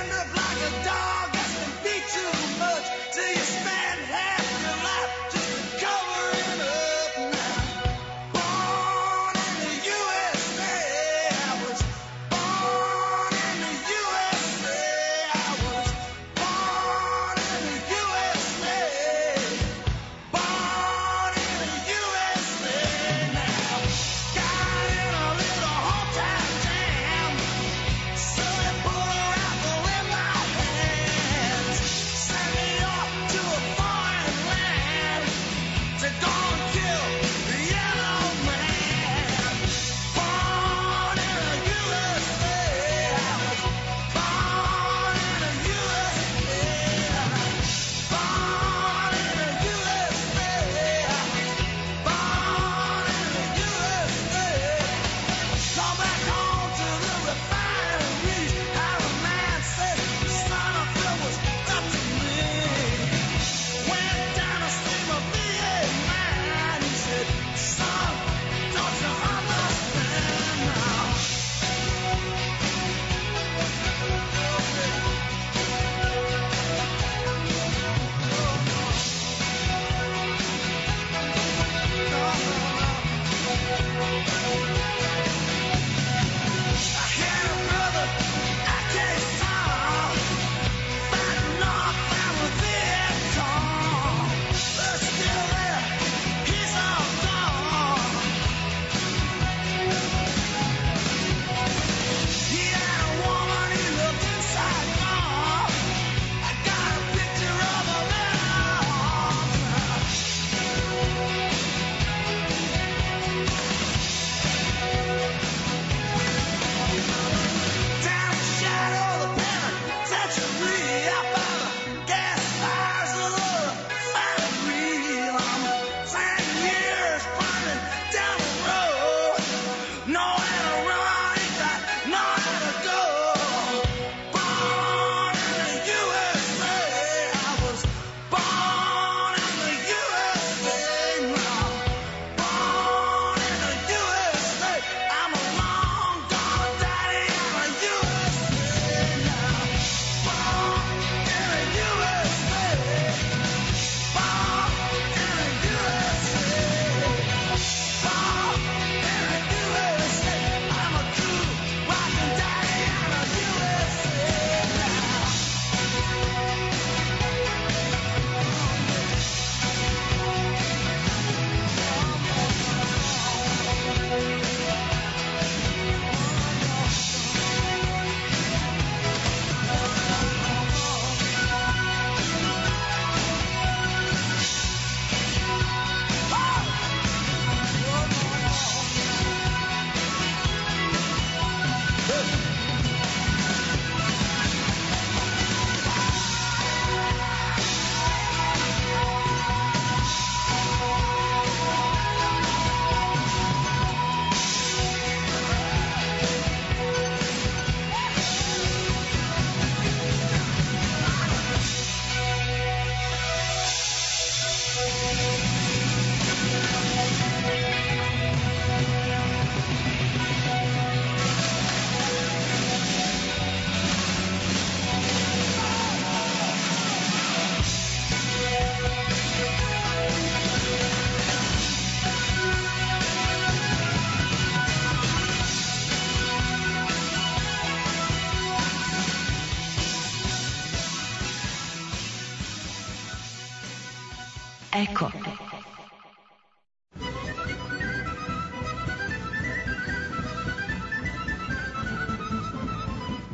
Eko.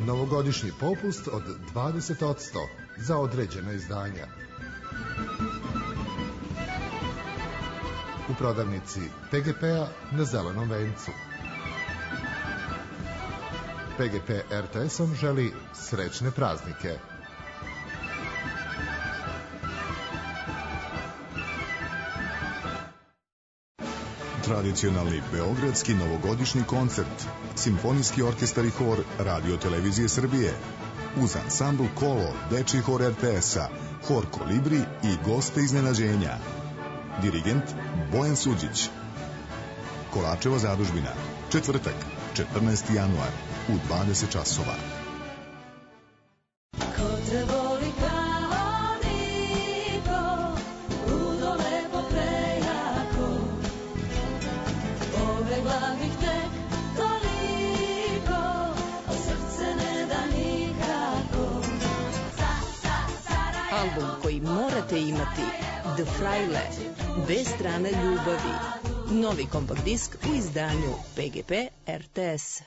Novogodišnji popust od dvadeset posto za određena izdanja. U prodavnici P G P-a na Zelenom vencu. P G P R T S-om želi srećne praznike. Tradicionalni beogradski novogodišnji koncert, simfonijski orkestar i hor Radio Televizije Srbije, uz ansambl Kolo, dečiji hor R T S-a, hor Kolibri i goste iznenađenja. Dirigent Bojan Suđić. Kolačeva zadužbina, četvrtak, četrnaesti januar, u dvadeset časova. Ko te voli kao niko, ludo lepo prejako, pobegla bih tek toliko, a srce ne da nikako. Album koji morate imati, The Fraile, Dve strane ljubavi. Novi kompakt disk u izdanju P G P R T S.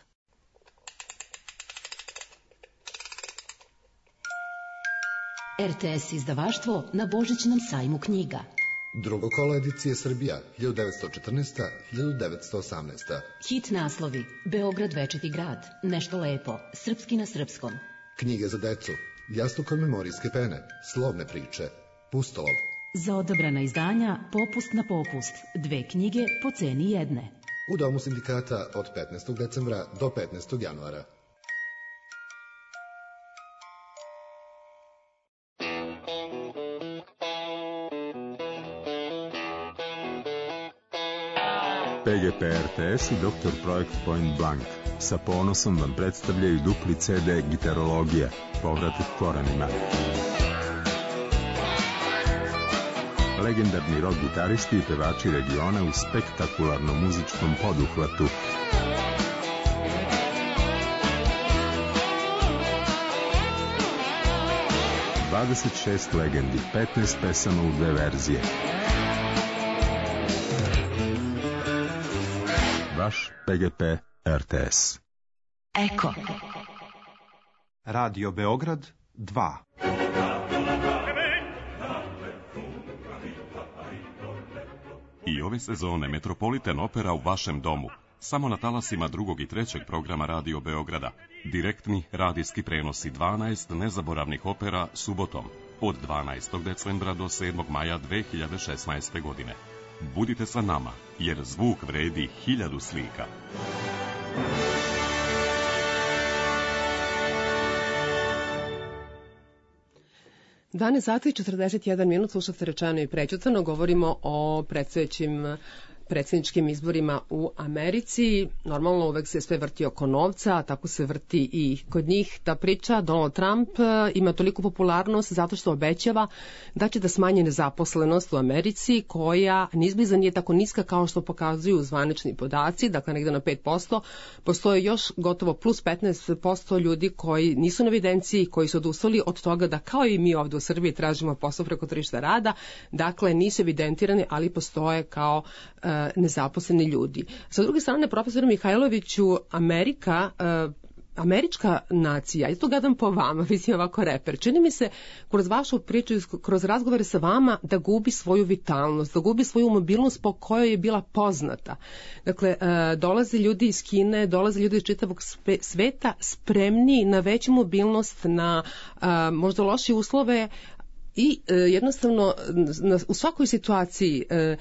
R T S izdavaštvo na Božićnom sajmu knjiga. Drugo kolo edicije Srbija, hiljadu devetsto četrnaesta do hiljadu devetsto osamnaesta. Hit naslovi: Beograd večiti grad, Nešto lepo, Srpski na srpskom. Knjige za decu, Jastuk od memorijske pene, Slovne priče, Pustolov. Za odabrana izdanja popust na popust, dve knjige po ceni jedne. U Domu sindikata od petnaestog decembra do petnaestog januara. P G P R T S i doktor Projekt Point Blank sa ponosom vam predstavljaju dupli C D Gitarologija, povratak korenima. Legendarni rock gitaristi i pevači regiona u spektakularnom muzičkom poduhvatu. dvadeset šest legendi, petnaest pesama u dve verzije. Vaš P G P R T S. Eko. Radio Beograd dva. I ove sezone Metropolitan Opera u vašem domu. Samo na talasima drugog i trećeg programa Radio Beograda. Direktni radijski prenosi dvanaest nezaboravnih opera subotom od dvanaestog decembra do sedmog maja dve hiljade šesnaeste. godine. Budite sa nama, jer zvuk vredi hiljadu slika. Dane sati četrdeset jedan minut, slušate Rečeno i prećutano, govorimo o predstojećim predsjedničkim izborima u Americi. Normalno uvek se sve vrti oko novca, a tako se vrti i kod njih ta priča. Donald Trump ima toliku popularnost zato što obećava da će da smanji nezaposlenost u Americi, koja nizbliza nije tako niska kao što pokazuju zvanični podaci, dakle negde na pet posto. Postoje još gotovo plus petnaest posto ljudi koji nisu na evidenciji, koji su odustali od toga da kao i mi ovde u Srbiji tražimo posao preko tržišta rada, dakle nisu evidentirani, ali postoje kao uh, nezaposleni ljudi. Sa druge strane, profesor Mihajloviću, Amerika, uh, američka nacija, ja to gledam po vama, vi si ovako reper, čini mi se kroz vašu priču, kroz razgovore sa vama, da gubi svoju vitalnost, da gubi svoju mobilnost po kojoj je bila poznata. Dakle, uh, dolaze ljudi iz Kine, dolaze ljudi iz čitavog sveta spremni na veću mobilnost, na uh, možda loše uslove, i e, jednostavno na, u svakoj situaciji e, e,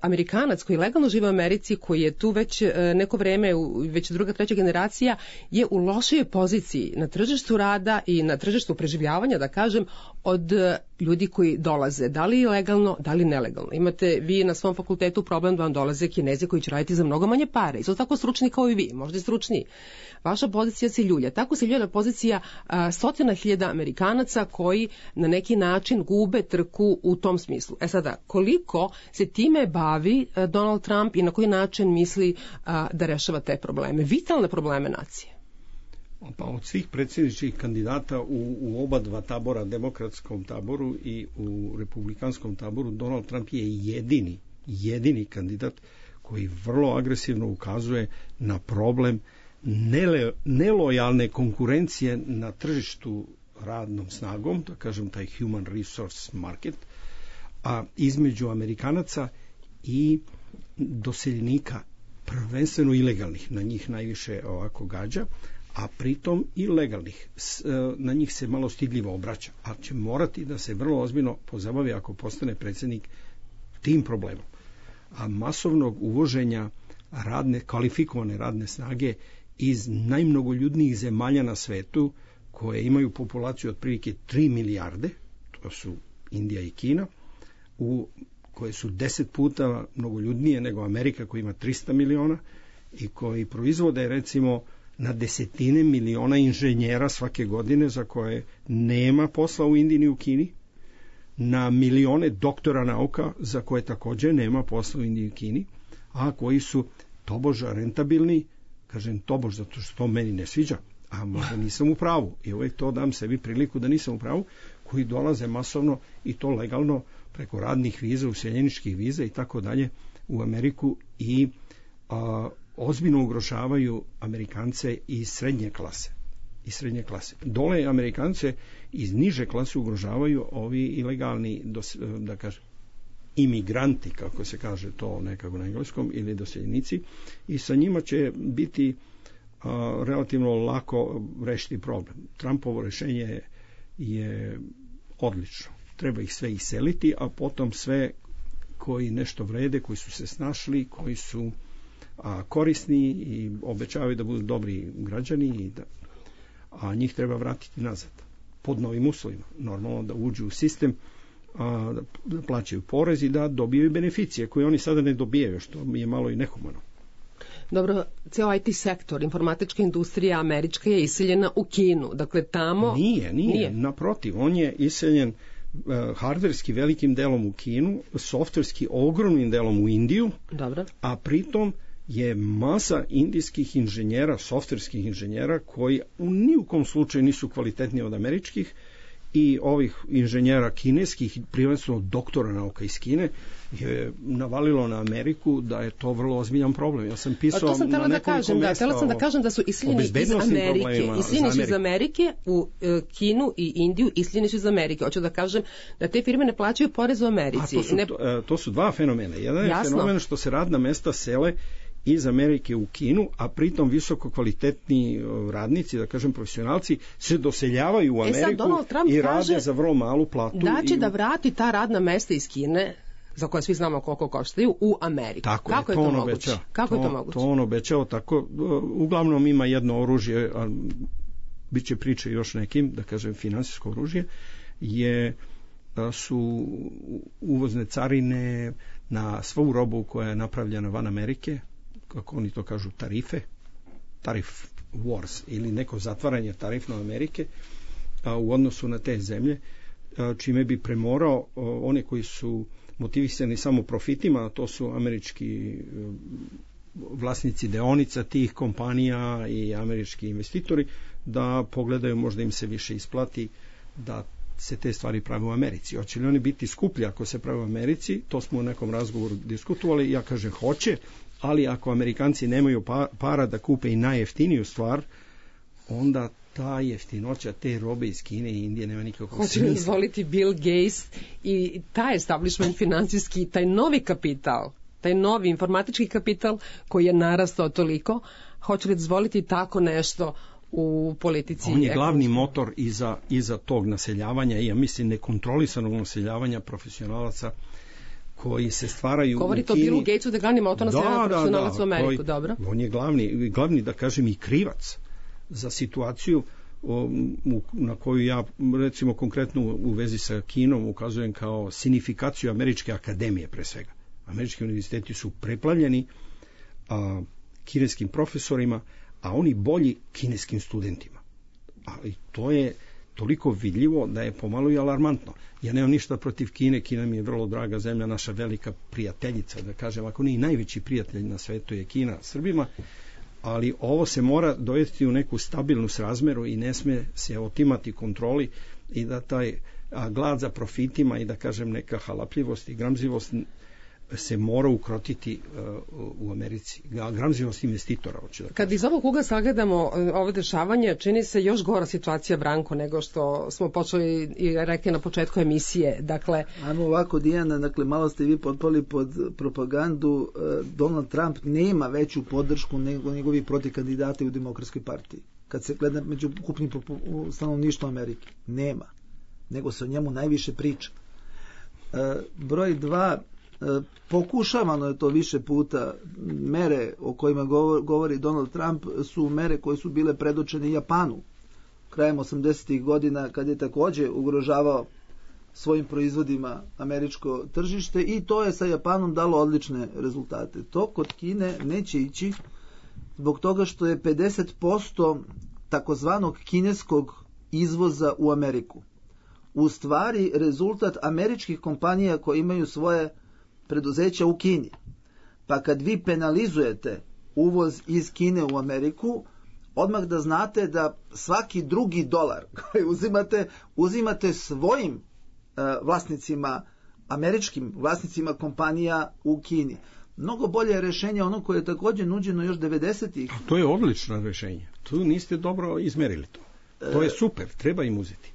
Amerikanac koji legalno žive u Americi, koji je tu već e, neko vreme, u, već druga, treća generacija, je u lošoj poziciji na tržištu rada i na tržištu preživljavanja, da kažem, od ljudi koji dolaze, da li legalno, da li nelegalno. Imate vi na svom fakultetu problem da vam dolaze Kinezi koji će raditi za mnogo manje pare. Isto tako stručni kao i vi, možda i stručniji. Vaša pozicija se ljulja. Tako se ljulja pozicija a, stotina hiljada Amerikanaca koji na neki način gube trku u tom smislu. E sada, koliko se time bavi a, Donald Trump i na koji način misli a, da rešava te probleme, vitalne probleme nacije? Pa od svih predsjedničkih kandidata u, u oba dva tabora, demokratskom taboru i u republikanskom taboru, Donald Trump je jedini, jedini kandidat koji vrlo agresivno ukazuje na problem nele, nelojalne konkurencije na tržištu radnom snagom, da kažem taj human resource market, a između Amerikanaca i doseljenika, prvenstveno ilegalnih, na njih najviše ovako gađa, a pritom i legalnih. Na njih se malo stidljivo obraća, ali će morati da se vrlo ozbiljno pozabavi ako postane predsjednik tim problemom. A masovnog uvoženja radne, kvalifikovane radne snage iz najmnogoljudnijih zemalja na svetu, koje imaju populaciju otprilike tri milijarde, to su Indija i Kina, u koje su deset puta mnogoljudnije nego Amerika koja ima trista miliona i koji proizvode recimo na desetine miliona inženjera svake godine za koje nema posla u Indiji ni u Kini, na milione doktora nauka za koje također nema posla u Indiji i Kini, a koji su toboža rentabilni, kažem tobož zato što to meni ne sviđa, a možda nisam u pravu i uvijek to dam sebi priliku da nisam u pravu, koji dolaze masovno i to legalno preko radnih viza, useljeničkih viza i tako dalje u Ameriku i a, ozbiljno ugrožavaju Amerikance iz srednje klase. Iz srednje klase. Dole Amerikance iz niže klase ugrožavaju ovi ilegalni, dos, da kažem, imigranti, kako se kaže to nekako na engleskom, ili doseljenici, i sa njima će biti a, relativno lako rešiti problem. Trumpovo rešenje je, je odlično. Treba ih sve iseliti, a potom sve koji nešto vrede, koji su se snašli, koji su a, korisni i obećavaju da budu dobri građani, i da, a njih treba vratiti nazad pod novim uslovima. Normalno da uđu u sistem, a, da plaćaju porez i da dobijaju beneficije koje oni sada ne dobijaju, što mi je malo i nehumano. Dobro, ceo I T sektor, informatička industrija američka je iseljena u Kinu. Dakle, tamo... Nije, nije, nije. Naprotiv, on je iseljen uh, hardverski velikim delom u Kinu, softverski ogromnim delom u Indiju, dobro, a pritom je masa indijskih inženjera, softverskih inženjera, koji u nijukom slučaju nisu kvalitetniji od američkih, i ovih inženjera kineskih, prvenstveno doktora nauka iz Kine, je navalilo na Ameriku da je to vrlo ozbiljan problem. Ja sam pisao sam na nekoliko da kažem, mesta da, sam da kažem da su iseljeni iz Amerike, iseljeni su iz Amerike u uh, Kinu i Indiju, iseljeni su iz Amerike. Hoću da kažem da te firme ne plaćaju porez u Americi. A to su, ne... to, to su dva fenomena. Jedan je Jasno. fenomen što se radna mesta sele iz Amerike u Kinu, a pritom visoko kvalitetni radnici, da kažem profesionalci, se doseljavaju u Ameriku e i rade za vrlo malu platu. Da će i... da vrati ta radna mesta iz Kine, za koje svi znamo koliko koštaju, u Ameriku. Tako Kako je, je to, to on moguće? obećao. Kako to, je to moguće? To on obećao tako. Uglavnom ima jedno oružje, a bit će priče još nekim, da kažem finansijsko oružje, je da su uvozne carine na svu robu koja je napravljena van Amerike, kako oni to kažu, tarife, tarif wars, ili neko zatvaranje tarifno Amerike a, u odnosu na te zemlje, a, čime bi premorao a, one koji su motivisani samo profitima, a to su američki a, vlasnici deonica tih kompanija i američki investitori, da pogledaju, možda im se više isplati da se te stvari prave u Americi. Hoće li oni biti skuplji ako se prave u Americi? To smo u nekom razgovoru diskutovali. Ja kažem hoće, ali ako Amerikanci nemaju para da kupe i najjeftiniju stvar, onda ta jeftinoća te robe iz Kine i Indije nema nikakvog smisla. Hoće li dozvoliti Bill Gates i taj establishment financijski, taj novi kapital, taj novi informatički kapital koji je narastao toliko, hoće li dozvoliti tako nešto u politici? On je glavni motor iza, iza tog naseljavanja i ja mislim nekontrolisanog naseljavanja profesionalaca koji se stvaraju u Kini. Govorite o Billu Gatesu da je glavni motor naseljavanja profesionalaca da, u Ameriku, koji, dobro. On je glavni, glavni, da kažem, i krivac za situaciju o, u, na koju ja, recimo, konkretno u vezi sa Kinom ukazujem kao sinifikaciju američke akademije, pre svega. Američki univerziteti su preplavljeni a, kineskim profesorima, a oni bolji kineskim studentima. Ali to je toliko vidljivo da je pomalo i alarmantno. Ja nemam ništa protiv Kine, Kina mi je vrlo draga zemlja, naša velika prijateljica, da kažem, ako nije najveći prijatelj na svetu je Kina Srbima, ali ovo se mora dovesti u neku stabilnu srazmeru i ne sme se otimati kontroli i da taj a, glad za profitima i da kažem neka halapljivost i gramzivost se mora ukrotiti uh, u Americi. Gramzivost investitora. Hoću da Kad iz ovog ugla sagledamo ovo dešavanje, čini se još gora situacija, Branko, nego što smo počeli i rekli na početku emisije. Dakle, ajmo ovako, Dijana, dakle, malo ste vi potpali pod propagandu. Donald Trump nema veću podršku nego njegovi protikandidati u Demokratskoj partiji. Kad se gleda među ukupnim stanovništvom Amerike. Nema. Nego se o njemu najviše priča. E, broj dva, pokušavano je to više puta. Mere o kojima govori Donald Trump su mere koje su bile predočene Japanu krajem osamdesetih godina, kad je takođe ugrožavao svojim proizvodima američko tržište, i to je sa Japanom dalo odlične rezultate. To kod Kine neće ići zbog toga što je pedeset posto takozvanog kineskog izvoza u Ameriku u stvari rezultat američkih kompanija koje imaju svoje preduzeća u Kini. Pa kad vi penalizujete uvoz iz Kine u Ameriku, odmah da znate da svaki drugi dolar koji uzimate, uzimate svojim uh, vlasnicima, američkim vlasnicima kompanija u Kini. Mnogo bolje je rešenje ono koje je također nuđeno još devedesetih. To je odlično rešenje. Tu niste dobro izmerili to. To je super, treba im uzeti.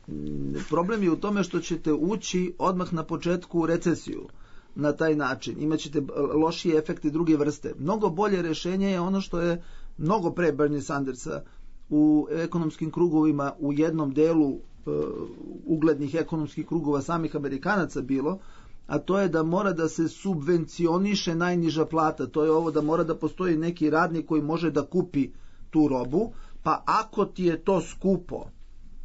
Problem je u tome što ćete ući odmah na početku u recesiju. Na taj način imaćete lošije efekte druge vrste. Mnogo bolje rešenje je ono što je mnogo pre Bernie Sandersa u ekonomskim krugovima u jednom delu uh, uglednih ekonomskih krugova samih Amerikanaca bilo, a to je da mora da se subvencioniše najniža plata. To je ovo da mora da postoji neki radnik koji može da kupi tu robu, pa ako ti je to skupo,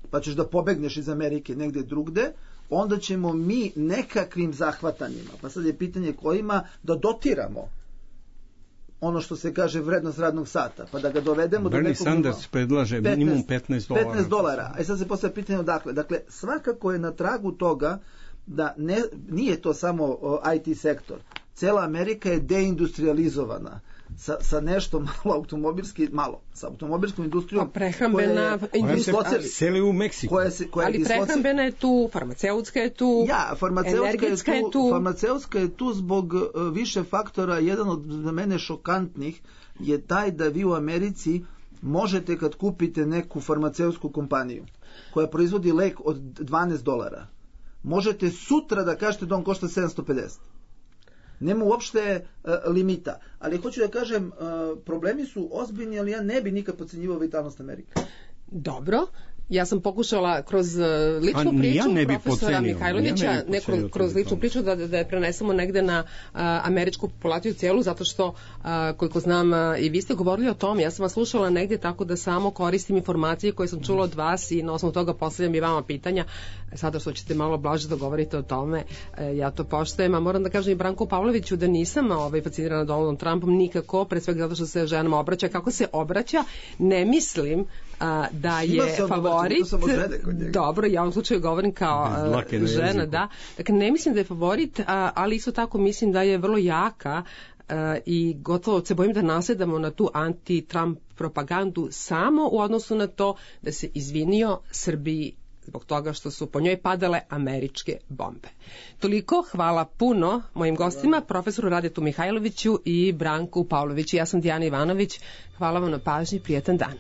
pa ćeš da pobegneš iz Amerike negde drugde, onda ćemo mi nekakvim zahvatanjima, pa sad je pitanje kojima, da dotiramo ono što se kaže vrednost radnog sata, pa da ga dovedemo Bernie do nekog Sanders nivou. predlaže minimum petnaest dolara. petnaest dolara. A sad se postavlja pitanje odakle. Dakle, svakako je na tragu toga da ne, nije to samo o, I T sektor. Cela Amerika je deindustrializovana. Sa, sa nešto malo automobilski, malo, sa automobilskom industrijom. Pa prehrambena industrija. Seli u Meksiku. Koja se, koja ali je prehrambena je tu, farmaceutska je tu, ja, farmaceutska je tu, je tu. Farmaceutska je tu zbog uh, više faktora. Jedan od za mene šokantnih je taj da vi u Americi možete kad kupite neku farmaceutsku kompaniju koja proizvodi lek od dvanaest dolara, možete sutra da kažete da on košta sedamsto pedeset. Nema uopšte uh, limita. Ali hoću da kažem, uh, problemi su ozbiljni, ali ja ne bi nikad podcenjivao vitalnost Amerike. Dobro. Ja sam pokušala kroz ličnu A, priču ja profesora pocenio, Mihajlovića, ja ne kroz, kroz ličnu priču da, da je prenesemo negde na a, američku populaciju cijelu, zato što, a, koliko znam, a, i vi ste govorili o tome, ja sam vas slušala negde tako da samo koristim informacije koje sam čula od vas i na osnovu toga postavljam i vama pitanja. Sada što ćete malo blaže da govorite o tome, e, ja to poštujem, a moram da kažem i Branku Pavloviću da nisam ovaj, fascinirana Donaldom Trumpom nikako, pre svega zato što se ženama obraća. Kako se obraća, ne mislim a, da je favorit. Dobro, ja u ovom slučaju govorim kao uh, žena, da. Dakle, ne mislim da je favorit, a, ali isto tako mislim da je vrlo jaka uh, i gotovo se bojim da nasledamo na tu anti-Trump propagandu samo u odnosu na to da se izvinio Srbiji zbog toga što su po njoj padale američke bombe. Toliko, hvala puno mojim gostima, profesoru Radetu Mihajloviću i Branku Pavloviću. Ja sam Dijana Ivanović, hvala vam na pažnji, prijetan dan.